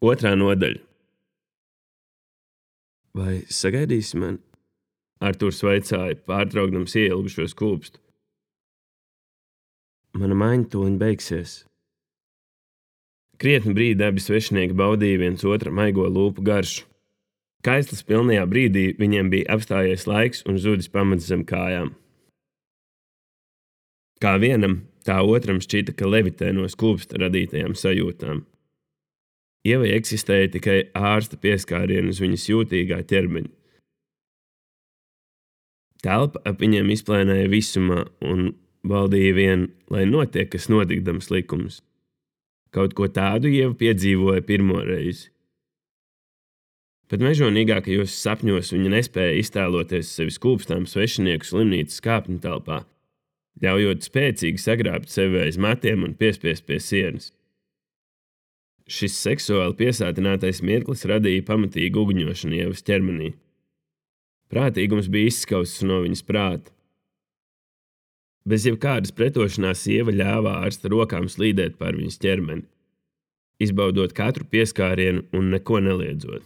Otrā nodaļa. Vai sagaidīsi mani? Artūrs vaicāja, pārtraukdams ieilgušos kūpstu. Mana maiņa tūliņ beigsies. Krietni brīdi abi svešinieki baudīja viens otra maigo lūpu garšu. Kaislas pilnajā brīdī viņiem bija apstājies laiks un zudis pamats zem kājām. Kā vienam, tā otram šķita, ka levitē no skūpsta radītajām sajūtām. Ievai eksistēja tikai ārsta pieskārieni uz viņas jūtīgā ķermeņa. Telpa ap viņiem izplēnēja visumā un valdīja vien, lai notiek, kas notikdams likums. Kaut ko tādu Ieva piedzīvoja pirmo reizi. Pat mežonīgākajos sapņos viņa nespēja iztēloties sevi skūpstām svešinieku slimnīcas kāpņu telpā, ļaujot spēcīgi sagrābt sevi aiz matiem un piespiest pie sienas. Šis seksuāli piesātinātais mirklis radīja pamatīgu uguņošanu Ievas ķermenī. Prātīgums bija izskausts no viņas prāta. Bez jebkādas pretošanās Ieva ļāva ārsta rokām slīdēt pār viņas ķermeni, izbaudot katru pieskārienu un neko neliedzot.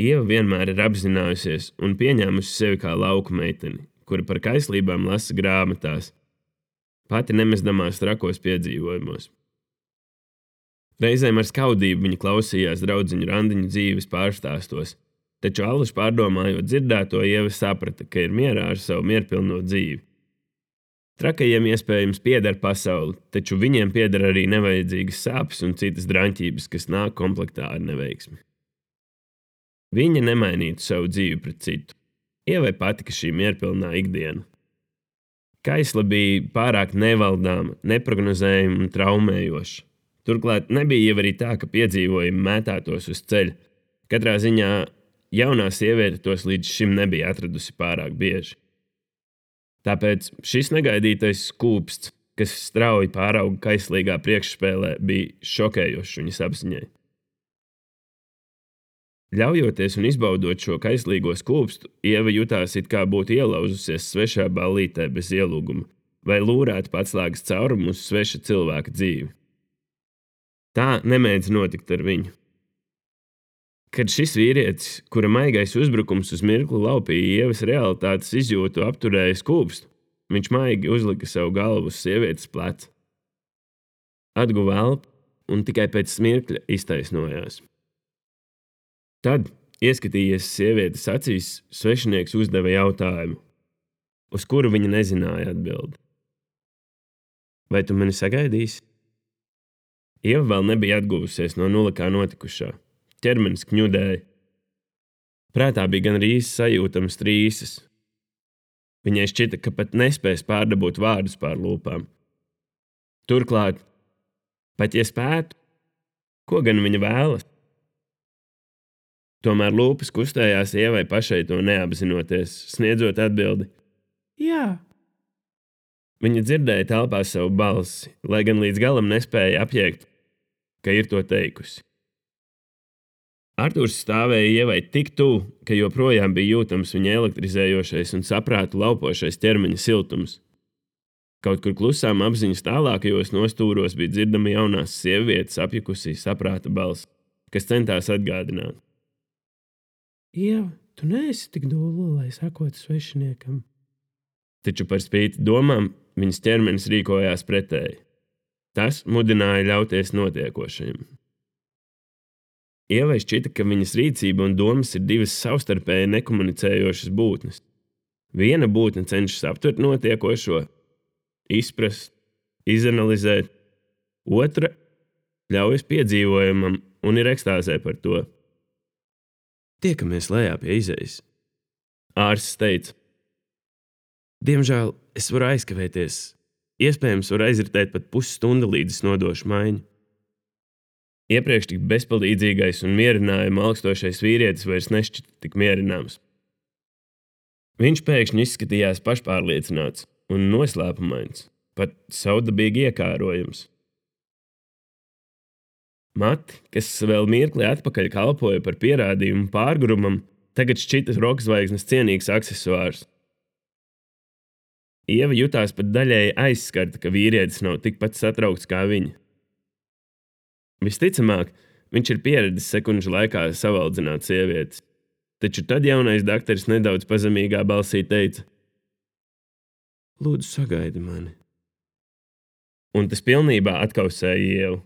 Ieva vienmēr ir apzinājusies un pieņēmusi sevi kā lauku meiteni, kura par kaislībām lasa grāmatās, pati nemezdamās trakos piedzīvojumos. Reizēm ar skaudību viņa klausījās draudziņu randiņu dzīves pārstāstos, taču allaž pārdomājot dzirdēto, Ieva saprata, ka ir mierā ar savu mierpilno dzīvi. Trakajiem iespējams pieder pasauli, taču viņiem pieder arī nevajadzīgas sāpes un citas draņķības, kas nāk komplektā ar neveiksmi. Viņa nemainītu savu dzīvi pret citu. Ievai patika šī mierpilnā ikdiena. Kaisla bija pārāk nevaldāma, neprognozējama un traumējoša. Turklāt nebija jau arī tā, ka piedzīvojumi mētātos uz ceļa. Katrā ziņā jaunā sieviete tos līdz šim nebija atradusi pārāk bieži. Tāpēc šis negaidītais skūpsts, kas strauji pārauga kaislīgā priekšspēlē, bija šokējošs viņas apziņai. Ļaujoties un izbaudot šo kaislīgo skūpstu, Ieva jutās it kā būtu ielauzusies svešā ballītē bez ielūguma vai lūrētu patslēgas caurumu uz sveša cilvēka dzīvi. Tā nemēdz notikt ar viņu. Kad šis vīrietis, kura maigais uzbrukums uz mirkli laupīja Ievas realitātes izjūtu, apturēja skūpstu, viņš maigi uzlika savu galvu uz sievietes pleca. Atguva elpu un tikai pēc mirkļa iztaisnojās. Tad, ieskatījies sievietes acīs, svešinieks uzdeva jautājumu, uz kuru viņa nezināja atbildi. Vai tu mani sagaidīsi? Ieva vēl nebija atguvusies no nulakā notikušā. Ķermenis kņudēja. Prātā bija gandrīz sajūtamas trīsas. Viņai šķita, ka pat nespēs pārdabūt vārdus pār lūpām. Turklāt, pat ja spētu, ko gan viņa vēlas? Tomēr lūpas kustējās Ievai pašai to neapzinoties, sniedzot atbildi jā. Viņa dzirdēja telpā savu balsi, lai gan līdz galam nespēja apjēgt, ka ir to teikusi. Artūrs stāvēja Ievai tik tuvu, ka joprojām bija jūtams viņa elektrizējošais un saprātu laupošais ķermeņa siltums. Kaut kur klusām apziņas tālākajos nostūros bija dzirdama jaunās sievietes apjukusī saprāta balss, kas centās atgādināt. Ieva, tu neesi tik dūla, lai sakotu svešiniekam. Taču par spīti domām viņas ķermenis rīkojās pretēji. Tas mudināja ļauties notiekošajam. Ievai šķita, ka viņas rīcība un domas ir divas savstarpēji nekomunicējošas būtnes. Viena būtne cenšas aptvert notiekošo, izprast, izanalizēt, otra ļaujas piedzīvojumam un ir ekstāzē par to. Tiekamies lejā pie izejas. Ārsts teica. Diemžēl es varu aizkavēties. Iespējams, var aizritēt pat pusstunda, līdz es nodošu maiņu. Iepriekš tik bezpalīdzīgais un mierinājumu augstošais vīrietis vairs nešķita tik mierināms. Viņš pēkšņi izskatījās pašpārliecināts un noslēpumains, pat savdabīgi iekārojams. Mati, kas vēl mirkli atpakaļ kalpoja par pierādījumu pārgrumam, tagad šķita rokzvaigznes cienīgs aksesuārs. Ieva jutās pat daļēji aizskarta, ka vīrietis nav tikpat satraukts kā viņa. Visticamāk, viņš ir pieredzis sekundžu laikā savaldzināt sievietes, taču tad jaunais dakteris nedaudz pazemīgā balsī teica: Lūdzu, sagaidi mani. Un tas pilnībā atkausēja Ievu.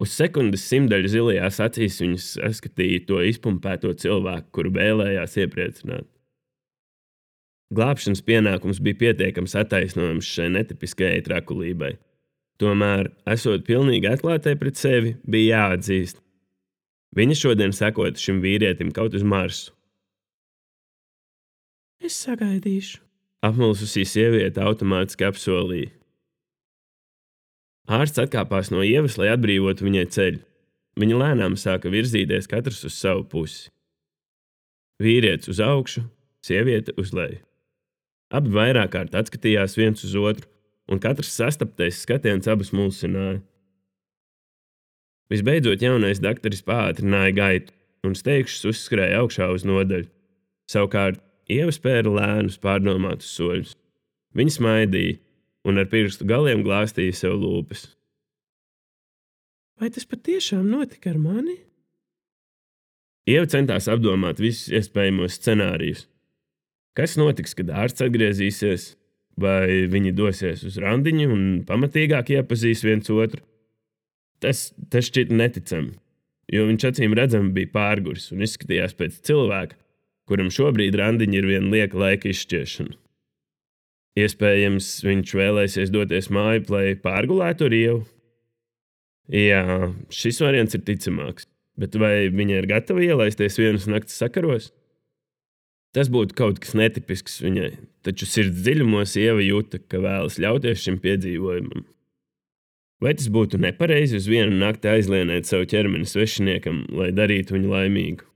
Uz sekundes simdaļu zilajās acīs viņas saskatīja to izpumpēto cilvēku, kuru vēlējās iepriecināt. Glābšanas pienākums bija pietiekams attaisnojums šai netipiskajai trakulībai. Tomēr, esot pilnīgi atklātai pret sevi, bija jāatzīst. Viņa šodien sekota šim vīrietim kaut uz Marsu. Es sagaidīšu, apmulsusī sieviete automātiski apsolīja. Ārsts atkāpās no Ievas, lai atbrīvotu viņai ceļu. Viņa lēnām sāka virzīties katrs uz savu pusi. Vīrietis uz augšu, sieviete uz leju. Abi vairāk kārt atskatījās viens uz otru, un katrs sastaptais skatiens abus mulsināja. Visbeidzot, jaunais dakteris pātrināja gaitu, un steigšs uzskrēja augšā uz nodaļu. Savukārt, Ieva spēra lēnus, pārdomātus soļus. Viņa smaidīja, un ar pirkstu galiem glāstīja sev lūpas. Vai tas patiešām notika ar mani? Ieva centās apdomāt visus iespējamos scenārijus. Kas notiks, kad ārsts atgriezīsies? Vai viņi dosies uz randiņu un pamatīgāk iepazīs viens otru? Tas šķita neticami, jo viņš acīm redzami bija pārguris un izskatījās pēc cilvēka, kuram šobrīd randiņa ir viena lieka laika izšķiešana. Iespējams, viņš vēlēsies doties māju, lai pārgulētu ar Ievu. Jā, šis variants ir ticamāks, bet vai viņa ir gatava ielaisties vienas nakts sakaros? Tas būtu kaut kas netipisks viņai, taču sirds dziļumos Ieva jūta, ka vēlas ļauties šim piedzīvojumam. Vai tas būtu nepareizi uz vienu nakti aizlienēt savu ķermeni svešiniekam, lai darītu viņu laimīgu?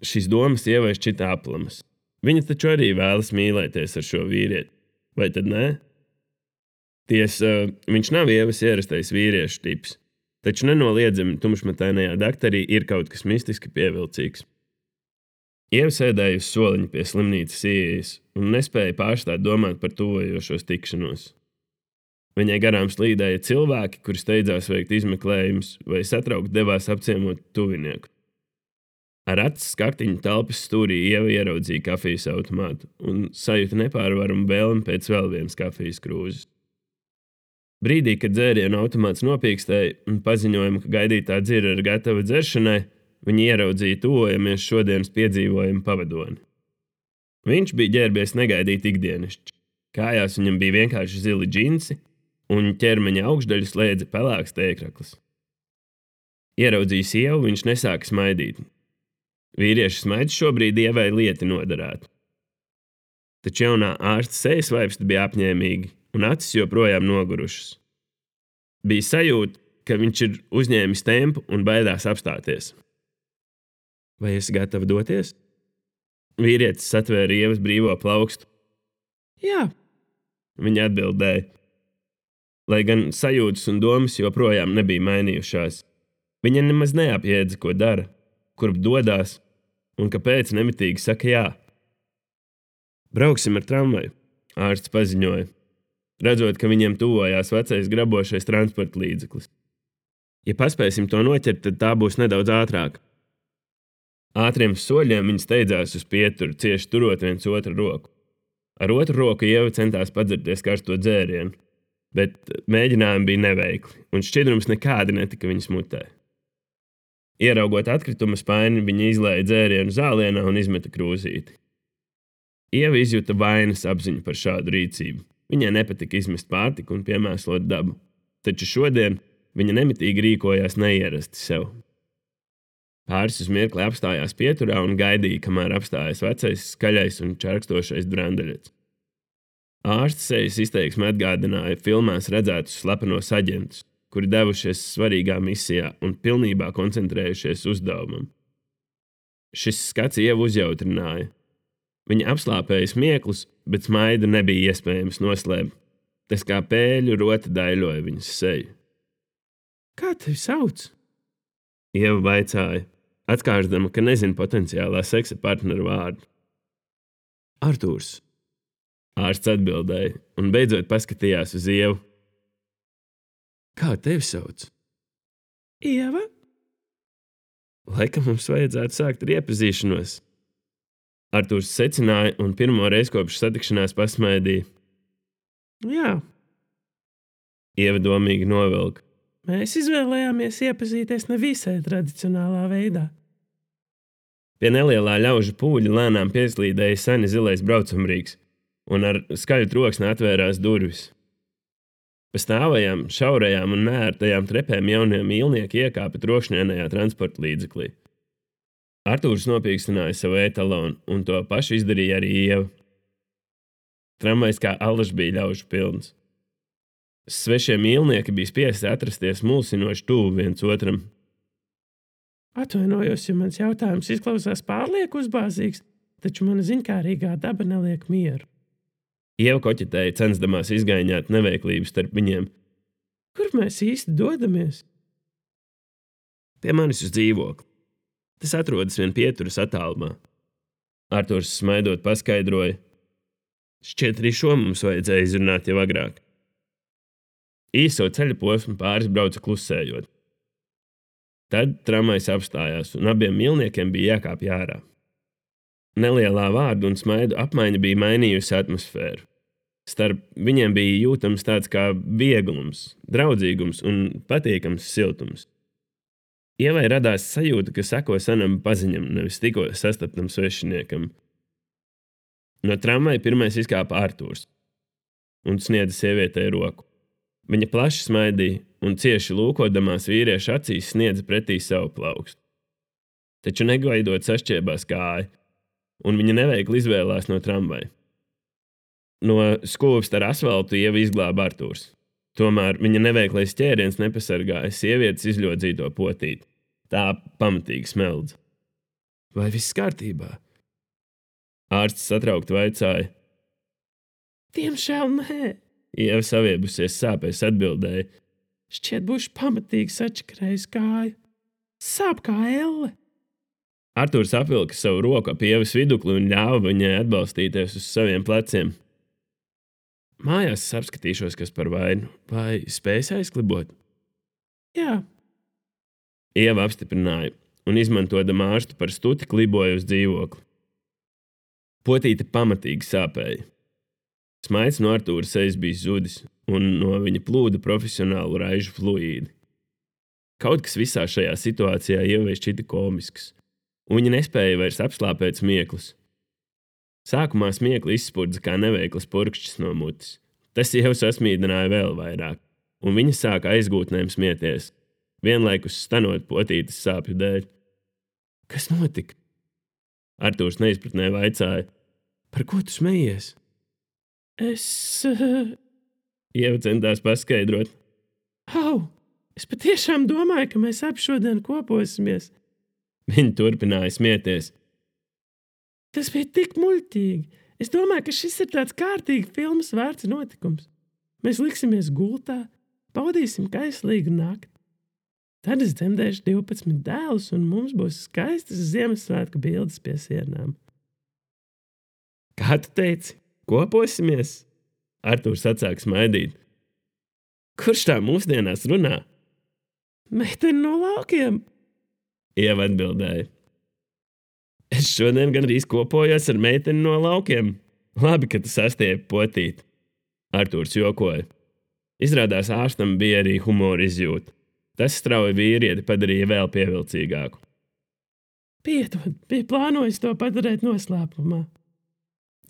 Šīs domas Ievai šķita aplamas. Viņa taču arī vēlas mīlēties ar šo vīrieti. Vai tad nē? Tiesa, viņš nav Ievas ierastais vīriešu tips, taču nenoliedzami tumšmatainajā dakterī ir kaut kas mistiski pievilcīgs. Ieva sēdēja uz soliņa pie slimnīcas ieejas un nespēja pārstāt domāt par tuvojošos tikšanos. Viņai garām slīdēja cilvēki, kuri steidzās veikt izmeklējumus vai satraukti devās apciemot tuvinieku. Ar acis skaktiņu telpas stūrī Ieva ieraudzīja kafijas automātu un sajūta nepārvaramu vēlmi pēc vēl vienas kafijas krūzes. Brīdī, kad dzērienu automāts nopīkstēja un paziņojuma, ka gaidītā dzira ir gatava dzeršanai, viņi ieraudzīja tuvojamies šodienas piedzīvojumu pavadoni. Viņš bija ģērbies negaidīt ikdienišķi. Kājās viņam bija vienkārši zili džinsi, un ķermeņa augšdaļu slēdza pelēks tēkraklis. Ieraudzījis Ievu, viņš nesāka smaidīt. Vīrieša smaids šobrīd Ievai lieti noderētu. Taču jaunā ārsta sejas vaipsti bija apņēmīgi, un acis joprojām nogurušas. Bija sajūta, ka viņš ir uzņēmis tempu un baidās apstāties. Vai esi gatava doties? Vīrietis satvēra Ievas brīvo plaukstu. Jā, viņa atbildēja. Lai gan sajūtas un domas joprojām nebija mainījušās. Viņa nemaz neapjēdza, ko dara, kurp dodās un kāpēc nemitīgi saka jā. Brauksim ar tramvaju, ārsts paziņoja, redzot, ka viņiem tuvojās vecais grabošais transporta līdzeklis. Ja paspēsim to noķert, tad tā būs nedaudz ātrāk. Ātriem soļiem viņi steidzās uz pieturu, cieši turot viens otru roku. Ar otru roku Ieva centās padzerties karsto dzērienu, bet mēģinājumi bija neveikli, un šķidrums nekādi netika viņas mutē. Ieraugot atkrituma spaini, viņa izlēja dzērienu zālienā un izmeta krūzīti. Ieva izjuta vainas apziņu par šādu rīcību. Viņai nepatika izmest pārtiku un piemēslot dabu, taču šodien viņa nemitīgi rīkojās neierasti sev. Pāris uz mirkli apstājās pieturā un gaidīja, kamēr apstājas vecais, skaļais un čarkstošais brandaļets. Ārsta sejas izteiksme atgādināja filmās redzētus slepenos aģentus, kuri devušies svarīgā misijā un pilnībā koncentrējušies uzdevumam. Šis skats Ievu uzjautrināja. Viņa apslāpēja smieklus, bet smaidu nebija iespējams noslēpt. Tas kā pēļu roti daļoja viņas seju. Kā tevi sauc? Ieva vaicāja, atkārtdama, ka nezina potenciālā seksa partneru vārdu. Artūrs. Ārsts atbildēja un beidzot paskatījās uz Ievu. Kā tevi sauc? Ieva? Laikam mums vajadzētu sākt ar iepazīšanos. Artūrs secināja un pirmo reizi kopš satikšanās pasmaidīja. Jā, Ieva domīgi novilka. mēs izvēlējāmies iepazīties nevisai tradicionālā veidā. Pie nelielā ļaužu pūļa lēnām pieslīdēja seni zilais braucamrīks, un ar skaļu troksni atvērās durvis. Pa stāvajām, šaurajām un neērtajām trepēm jaunie mīlnieki iekāpa trokšņainajā transporta līdzeklī. Artūrs nopīkstināja savu etalonu, un to pašu izdarīja arī Ieva. Tramvajs kā alažs bija ļaužu pilns. Svešie mīlnieki bija spiesti atrasties mulsinoši tuvu viens otram. Atvainojos, ja mans jautājums izklausās pārlieku uzbāzīgs, taču mana ziņkārīgā daba neliek mieru. Ieva koķetēja, censdamās izgaiņāt neveiklību starp viņiem. Kur mēs īsti dodamies? Pie manis uz dzīvokli. Tas atrodas vien pieturas attālumā. Artūrs smaidot paskaidroja. Šķiet, arī šo mums vajadzēja izrunāt jau agrāk. Īso ceļa posmu pāris brauca klusējot. Tad tramvajs apstājās, un abiem mīlniekiem bija jākāpj ārā. Nelielā vārdu un smaidu apmaiņa bija mainījusi atmosfēru. Starp viņiem bija jūtams tāds kā vieglums, draudzīgums un patīkams siltums. Ievai radās sajūta, ka seko senam paziņam, nevis tikko sastaptam svešiniekam. No tramvaja pirmais izkāpa Artūrs un sniedza sievietei roku. Viņa plaši smaidīja un cieši lūkodamās vīrieša acīs sniedza pretī savu plaukstu. Taču negaidot sašķiebās kāja, un viņa neveikli izvēlās no tramvaja. No skūpsta ar asfaltu Ieva izglāba Artūrs. Tomēr viņa neveiklais ķēriens nepasargāja sievietes izļodzīto potīti. Tā pamatīgi smeldza. Vai viss kārtībā? Ārsts satraukti vaicāja. Diemžēl nē. Ieva saviebusies sāpēs atbildēja. Šķiet būšu pamatīgi sačakarējis kāju. Sāp kā elle. Artūrs apvilka savu roku ap Ievas vidukli un ļāva viņai atbalstīties uz saviem pleciem. Mājās es apskatīšos, kas par vainu, vai spējas aizklibot? Jā. Ieva apstiprināja un izmantodama ārstu par stuti kliboja uz dzīvokli. Potīte pamatīgi sāpēja. Smaids no Artūra sejas bija zudis, un no viņa plūda profesionālu raižu fluīdi. Kaut kas visā šajā situācijā Ievai šķita komisks, un viņa nespēja vairs apslāpēt smieklus. Sākumā smiekli izspurdza kā neveikls purkšķis no mutes. Tas Ievu sasmīdināja vēl vairāk, un viņa sāka aizgūtnēm smieties, vienlaikus stanot potītes sāpju dēļ. Kas notika? Artūrs neizpratnē vaicāja. Par ko tu smejies? Ieva centās paskaidrot. Es patiešām domāju, ka mēs abi šodien koposimies. Viņa turpināja smieties. Tas bija tik muļķīgi. Es domāju, ka šis ir tāds kārtīgi filmas vērts notikums. Mēs liksimies gultā, baudīsim kaislīgu nakti. Tad es dzemdēšu 12 dēlus, un mums būs skaistas Ziemassvētku bildes pie sienām. Kā tu teici? Koposimies? Artūrs atsāk smaidīt. Kurš tā mūsdienās runā? Meitene no laukiem. Ieva atbildēja. Es šodien gandrīz kopojos ar meiteni no laukiem. Labi, ka tu sastiepi potīt. Artūrs jokoja. Izrādās ārstam bija arī humora izjūta. Tas strauji vīrieti padarīja vēl pievilcīgāku. Piedod, bija plānojis to padarīt noslēpumā.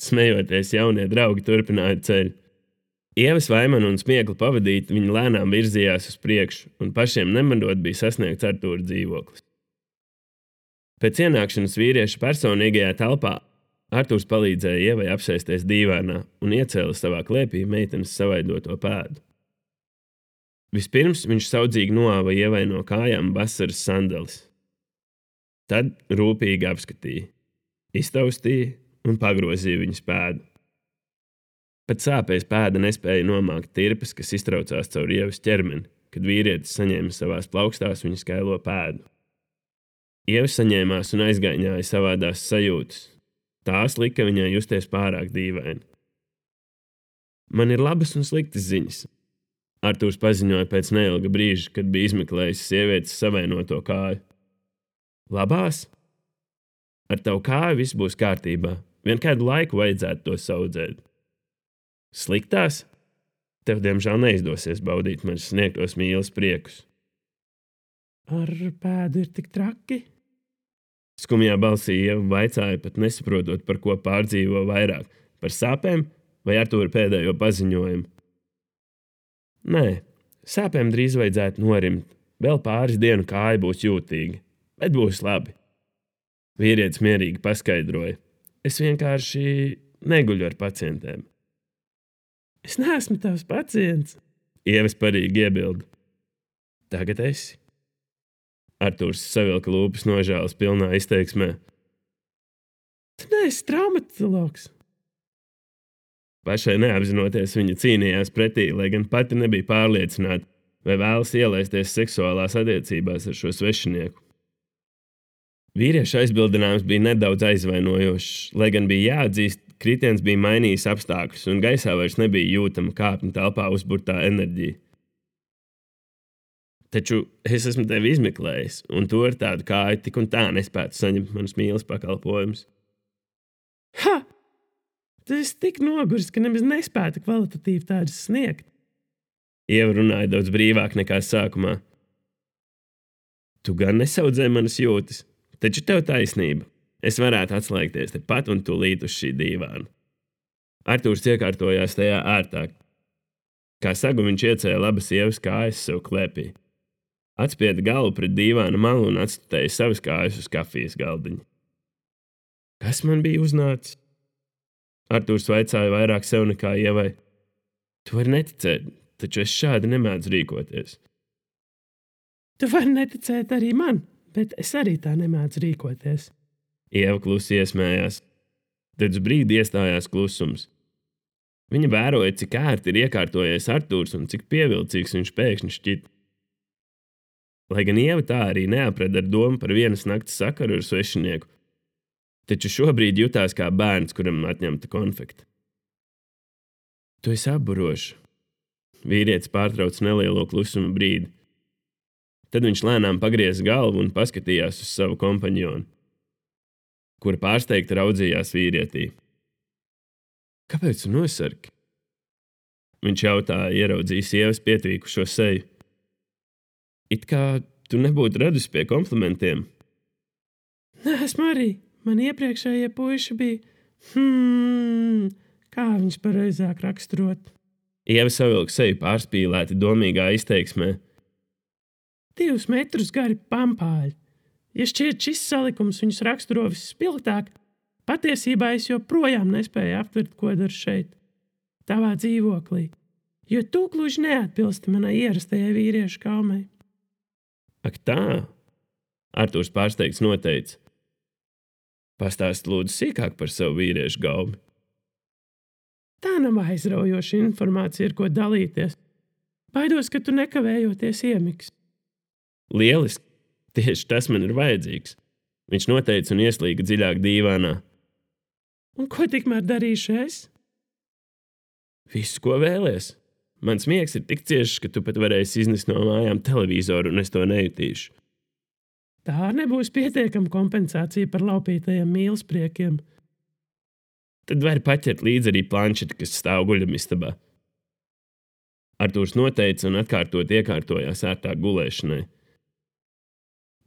Smejoties, jaunie draugi turpināja ceļu. Ievas vaimanu un smieklu pavadīt, viņi lēnām virzījās uz priekšu, un pašiem nemanot bija sasniegts Artūra dzīvoklis. Pēc ienākšanas vīrieša personīgajā telpā Artūrs palīdzēja Ievai apsēsties dīvānā un iecēla savā klēpī meitenes savaidoto pēdu. Vispirms viņš saudzīgi noāva Ievai no kājām vasaras sandalis. Tad rūpīgi apskatīja, iztaustīja un pagrozīja viņas pēdu. Pat sāpēs pēda nespēja nomākt tirpas, kas iztraucās caur Ievas ķermeni, kad vīrietis saņēma savās plaukstās viņa skailo pēdu. Ieva saņēmās un aizgaiņāja savādās sajūtas. Tās lika viņai justies pārāk dīvaini. Man ir labas un sliktas ziņas. Artūrs paziņoja pēc neilga brīža, kad bija izmeklējis sievietes savainoto kāju. Labās? Ar tavu kāju viss būs kārtībā. Vien kādu laiku vajadzētu to saudzēt. Sliktās? Tev, diemžēl, neizdosies baudīt manis sniegtos mīlas priekus. Ar pēdu ir tik traki? Skumjā balsī Ieva vaicāja, pat nesaprotot, par ko pārdzīvo vairāk – par sāpēm vai Artūra pēdējo paziņojumu. Nē, sāpēm drīz vajadzētu norimt. Vēl pāris dienu kāja būs jūtīga, bet būs labi. Vīrietis mierīgi paskaidroja. Es vienkārši neguļu ar pacientiem. Es neesmu tavs pacients. Ieva sparīgi iebilda. Tagad esi. Artūrs savilka lūpas nožēlas pilnā izteiksmē. Tu neesi traumatologs. Pašai neapzinoties, viņa cīnījās pretī, lai gan pati nebija pārliecināta, vai vēlas ielaisties seksuālās attiecībās ar šo svešinieku. Vīrieša aizbildinājums bija nedaudz aizvainojošs, lai gan bija jāatzīst, kritiens bija mainījis apstākļus, un gaisā vairs nebija jūtama kāpņu telpā uzburtā enerģija. Taču es esmu tevi izmeklējis, un tu ar tādu kāju tik un tā nespētu saņemt manas mīlas pakalpojumus. Ha! Tu esi tik noguris, ka nemaz nespētu kvalitatīvi tādus sniegt. Ieva runāja daudz brīvāk nekā sākumā. Tu gan nesaudzē manas jūtas, taču tev taisnība. Es varētu atslēgties tepat un tūlīt uz šī dīvāna. Artūrs iekārtojās tajā ērtāk. Kā sagu viņš iecēla abas Ievas kājas sev klēpī. Atspieda galvu pret dīvāna malu un atstutēja savas kājas uz kafijas galdiņa. Kas man bija uznācis? Artūrs vaicāja vairāk sev nekā Ievai. Tu vari neticēt, taču es šādi nemēdzu rīkoties. Tu vari neticēt arī man, bet es arī tā nemēdzu rīkoties. Ieva klusi iesmējās. Tad uz brīdi iestājās klusums. Viņa vēroja, cik ērti ir iekārtojies Artūrs un cik pievilcīgs viņš pēkšņi šķita. Lai gan Ieva tā arī neapreda ar domu par vienas nakts sakaru ar svešinieku, taču šobrīd jutās kā bērns, kuram atņemta konfekta. Tu esi apburošs. Vīrietis pārtrauc nelielo klusuma brīdi. Tad viņš lēnām pagrieza galvu un paskatījās uz savu kompanjonu, kura pārsteigti raudzījās vīrietī. Kāpēc tu nosarki? Viņš jautāja, ieraudzījis Ievas pietvīkušo seju. It kā tu nebūtu radusi pie komplimentiem. Nē, esmu arī. Man iepriekšējie puiši bija, kā viņš pareizāk raksturot. Ieva savilka seju pārspīlēti domīgā izteiksmē. 2 metrus gari pampāļi. Ja šķiet šis salikums viņus raksturo visspilgtāk, patiesībā es joprojām nespēju aptvert, ko daru šeit, tavā dzīvoklī, jo tu gluži neatbilsti manai ierastajai vīriešu kaumai. Ak tā, Artūrs pārsteigts noteica. Pastāst lūdzu sīkāk par savu vīriešu gaumi. Tā nav aizraujoša informācija, ar ko dalīties. Baidos, ka tu nekavējoties iemigs. Lieliski, tieši tas man ir vajadzīgs. Viņš noteica un ieslīga dziļāk dīvānā. Un ko tikmēr darīšu es? Visu, ko vēlies. Mans miegs ir tik ciešs, ka tu pat varēsi iznest no mājām televizoru, un es to nejutīšu. Tā nebūs pietiekama kompensācija par laupītajiem mīlespriekiem. Tad vari paķert līdzi arī planšeti, kas stāv guļamistabā. Artūrs noteica un atkārtot iekārtojās ērtāk gulēšanai.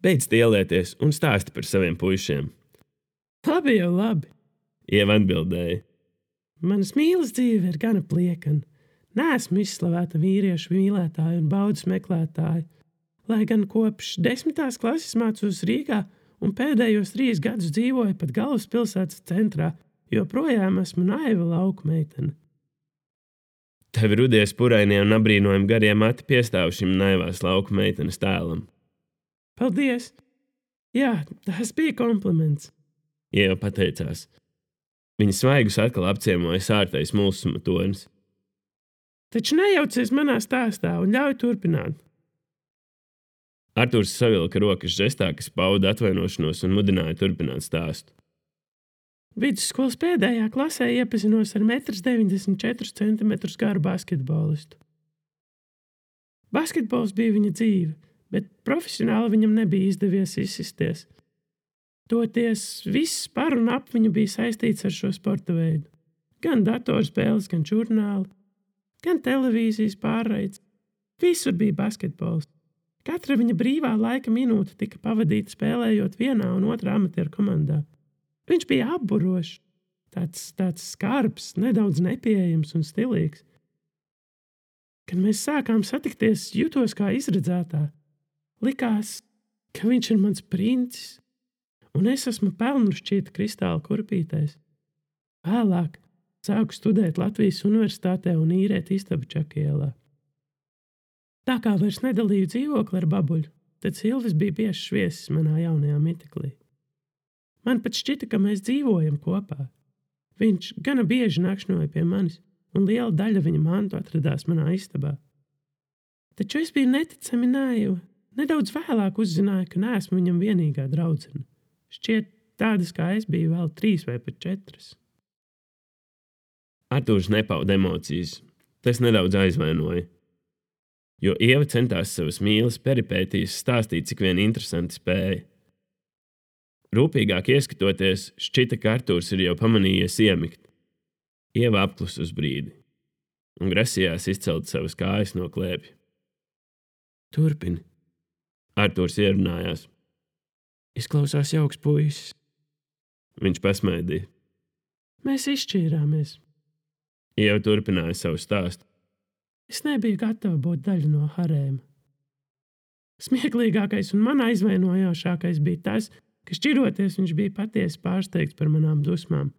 Beidz tielēties un stāsti par saviem puišiem. Labi jau labi. Ieva atbildēja. Manas mīlas dzīve ir gana pliekana. Neesmu izslavēta vīriešu mīlētāja un baudas meklētāja, lai gan kopš 10. klases mācos Rīgā un pēdējos 3 gadus dzīvoju pat galvaspilsētas centrā, joprojām esmu naiva lauku meitene. Tev rudies purainie un abrīnojami garie mati piestāv šim naivās lauku meitenes tēlam. Paldies! Jā, tas bija kompliments. Ieva pateicās. Viņa svaigus atkal apciemoja sārtais mulsuma tonis. Taču nejaucies manā stāstā un ļauj turpināt. Artūrs savilka rokas žestā, kas pauda atvainošanos un mudināja turpināt stāstu. Vidusskolas pēdējā klasē iepazinos ar 1,94 cm garu basketbolistu. Basketbols bija viņa dzīve, bet profesionāli viņam nebija izdevies izsisties. Toties viss par un ap viņu bija saistīts ar šo sporta veidu. Gan datorspēles, gan žurnāli, gan televīzijas pārraides. Visur bija basketbols. Katra viņa brīvā laika minūte tika pavadīta spēlējot vienā un otrā amatieru komandā. Viņš bija apburošs, tāds skarbs, nedaudz nepieejams un stilīgs. Kad mēs sākām satikties, jutos kā izredzētā. Likās, ka viņš ir mans princis, un es esmu pelnušķīta kristāla kurpītēs. Vēlāk sāku studēt Latvijas universitātē un īrēt istabu Čakielā. Tā kā vairs nedalīju dzīvokli ar babuļu, tad Silvis bija biežs viesis manā jaunajā mitiklī. Man pat šķita, ka mēs dzīvojam kopā. Viņš gana bieži nakšņoja pie manis, un liela daļa viņa mantu atradās manā istabā. Taču es biju neticami naiva. Nedaudz vēlāk uzzināju, ka neesmu viņam vienīgā draudzene. Šķiet, tādas kā es biju vēl 3 vai pat 4. Artūrs nepauda emocijas. Tas nedaudz aizvainoja. Jo Ieva centās savas mīlas peripētīs stāstīt, cik vien interesanti spēja. Rūpīgāk ieskatoties, šķita, ka Artūrs ir jau pamanījies iemigt. Ieva apklusa uz brīdi un grasījās izcelt savas kājas no klēpja. Turpini. Artūrs ierunājās. Izklausās jauks puisis. Viņš pasmaidīja. Mēs izšķīrāmies. Ieva turpināja savu stāstu. Es nebiju gatava būt daļa no harēma. Smieklīgākais un man aizvainojošākais bija tas, ka šķiroties viņš bija patiesi pārsteigts par manām dusmām.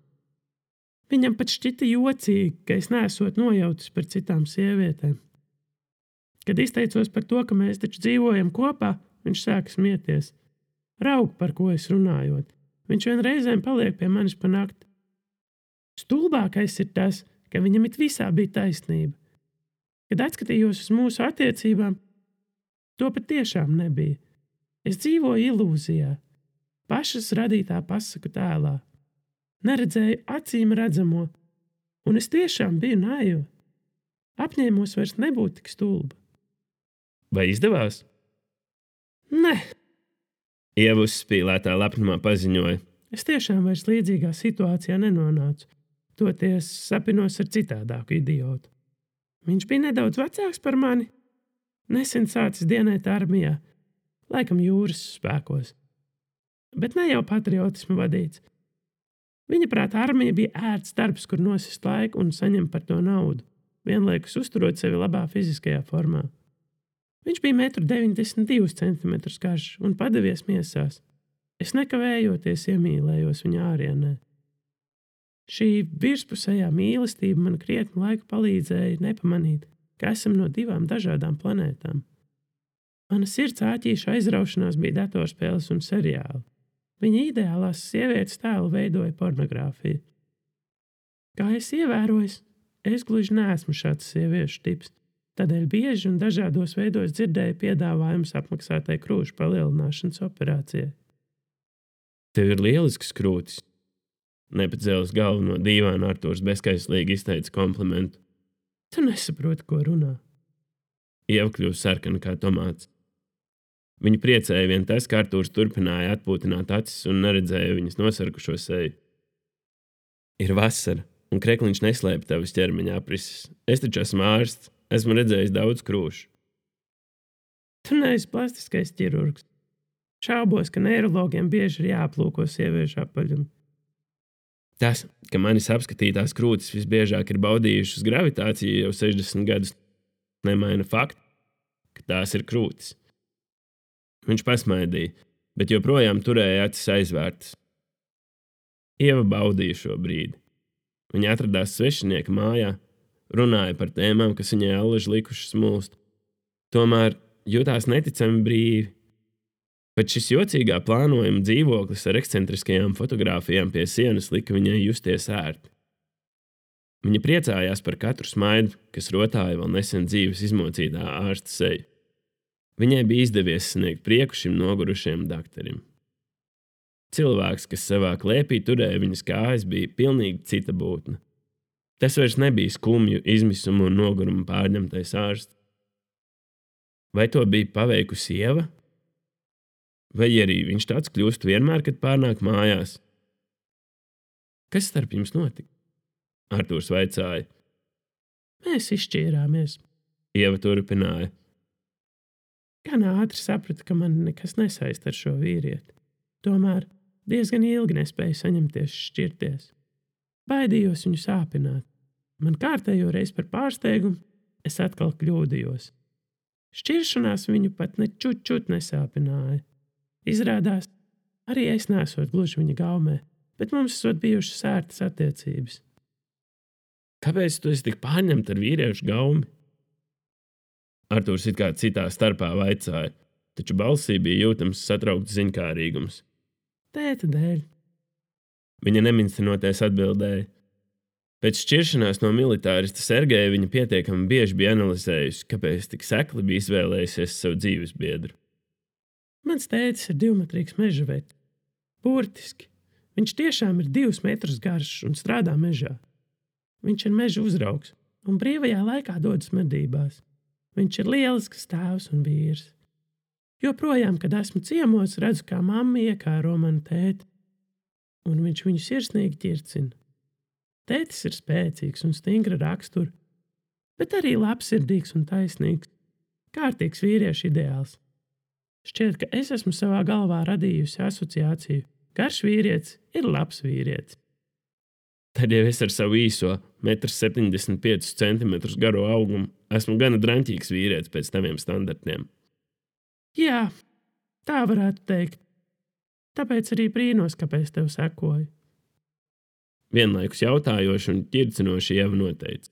Viņam pat šķita jocīgi, ka es neesot nojautis par citām sievietēm. Kad izteicos par to, ka mēs taču dzīvojam kopā, viņš sāka smieties. Raug, par ko es runājot. Viņš vienreizēm paliek pie manis pa nakti. Stulbākais ir tas, ka viņam it visā bija taisnība. Kad atskatījos uz mūsu attiecībām, to pat tiešām nebija. Es dzīvoju ilūzijā, pašas radītā pasaku tēlā. Neredzēju acīm redzamo, un es tiešām biju naiva. Apņēmos vairs nebūt tik stulba. Vai izdevās? Ne. Ieva uzspīlētā lepnumā paziņoja. Es tiešām vairs līdzīgā situācijā nenonācu. Toties sapinos ar citādāku idiotu. Viņš bija nedaudz vecāks par mani. Nesen sācis dienēt armijā, laikam jūras spēkos. Bet ne jau patriotismu vadīts. Viņa prāt armija bija ērts darbs, kur nosist laiku un saņem par to naudu, vienlaikus uzturot sevi labā fiziskajā formā. Viņš bija 1,92 cm garš un padevies miesās. Es nekavējoties iemīlējos viņa ārienē. Šī virspusējā mīlestība man krietnu laiku palīdzēja nepamanīt, ka esam no 2 dažādām planētām. Mana sirds āķīša aizraušanās bija datorspēles un seriāli. Viņa ideālās sievietes tēlu veidoja pornogrāfija. Kā es ievēroju, es gluži neesmu šāds sieviešu tips, tādēļ bieži un dažādos veidos dzirdēju piedāvājumus apmaksātai krūšu palielināšanas operācijai. Tev ir lielisks krūtis. Nepacēlis galvu no dīvāna, Artūrs bezkaislīgi izteica komplimentu. Tu nesaproti, ko runā. Ieva kļuva sarkana kā tomāts. Viņu priecēja vien tas, ka Artūrs turpināja atpūtināt acis un neredzēja viņas nosarkušo seju. Ir vasara, un krekliņš neslēpj tavas ķermeņa aprises. Es taču esmu ārsts, esmu redzējis daudz krūšu. Tu neesi plastiskais ķirurgs. Šaubos, ka neirologiem bieži ir jāaplūko sieviešu apaļumi. Tas, ka manis apskatītās krūtis visbiežāk ir baudījušas gravitāciju jau 60 gadus, nemaina faktu, ka tās ir krūtis. Viņš pasmaidīja, bet joprojām turēja acis aizvērtas. Ieva baudīja šo brīdi. Viņa atradās svešinieka mājā, runāja par tēmām, kas viņai allaži likušas mulst. Tomēr jutās neticami brīvi. Pat šis jocīgā plānojuma dzīvoklis ar ekscentriskajām fotogrāfijām pie sienas lika viņai justies ērti. Viņa priecājās par katru smaidu, kas rotāja vēl nesen dzīves izmocītā ārsta seju. Viņai bija izdevies sniegt prieku šim nogurušajam dakterim. Cilvēks, kas savā klēpī turēja viņas kājas, bija pilnīgi cita būtne. Tas vairs nebija skumju, izmisumu un nogurumu pārņemtais ārsts. Vai to bija paveikusi sieva? Vai arī viņš tāds kļūst vienmēr, kad pārnāk mājās? Kas starp jums notika? Artūrs vaicāja. Mēs izšķīrāmies. Ieva turpināja. Gan ātri sapratu, ka man nekas nesaist ar šo vīrieti. Tomēr diezgan ilgi nespēju saņemties šķirties. Baidījos viņu sāpināt. Man kārtējo reizi par pārsteigumu es atkal kļūdījos. Šķiršanās viņu pat ne čut nesāpināja. Izrādās, arī es nesot gluži viņa gaumē, bet mums esot bijušas sērtas attiecības. Kāpēc tu esi tik pārņemta ar vīriešu gaumi? Artūrs it kā citā starpā vaicāja, taču balsī bija jūtams satraukts ziņkārīgums. Tēta dēļ. Viņa neminstinoties atbildēja. Pēc šķiršanās no militārista Sergeja viņa pietiekami bieži bija analizējusi, kāpēc tik sekli bija izvēlējusies savu dzīves biedru. Mans tētis ir 2-metrīgs mežavetis. Burtiski. Viņš tiešām ir 2 metrus garš un strādā mežā. Viņš ir meža uzraugs un brīvajā laikā dodas medībās. Viņš ir lielisks tēvs un vīrs. Joprojām, kad esmu ciemos, redzu, kā mamma iekāro manu tēti, un viņš viņu sirsnīgi ķircina. Tētis ir spēcīgs un stingra rakstura, bet arī labsirdīgs un taisnīgs. Kārtīgs vīriešu ideāls. Šķiet, ka es esmu savā galvā radījusi asociāciju. Garš vīrietis ir labs vīrietis. Tad jau es ar savu īso 1,75 cm garo augumu esmu gana draņķīgs vīrietis pēc taviem standartiem. Jā, tā varētu teikt. Tāpēc arī brīnos, kāpēc tev sekoju. Vienlaikus jautājoši un ķircinoši Ieva noteica.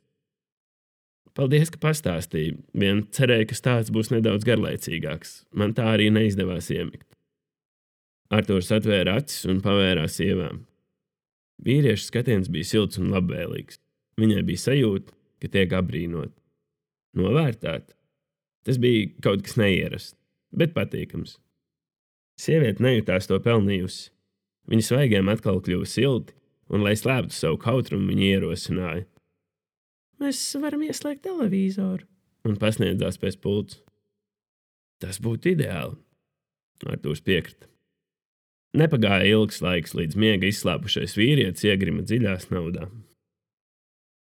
Paldies, ka pastāstīji. Vien cerēju, ka stāsts būs nedaudz garlaicīgāks. Man tā arī neizdevās iemigt. Artūrs atvēra acis un pavērās Ievām. Vīrieša skatiens bija silts un labvēlīgs. Viņai bija sajūta, ka tiek apbrīnot. Novērtēt. Tas bija kaut kas neierasts, bet patīkams. Sieviete nejūtās to pelnījusi. Viņas svaigiem atkal kļuva silti, un, lai slēptu savu kautrumu, viņa ierosināja. Mēs varam ieslēgt televizoru. Un pasniedzās pēc pults. Tas būtu ideāli. Artūrs piekrita. Nepagāja ilgs laiks, līdz miega izslāpušais vīrietis iegrima dziļā snaudā.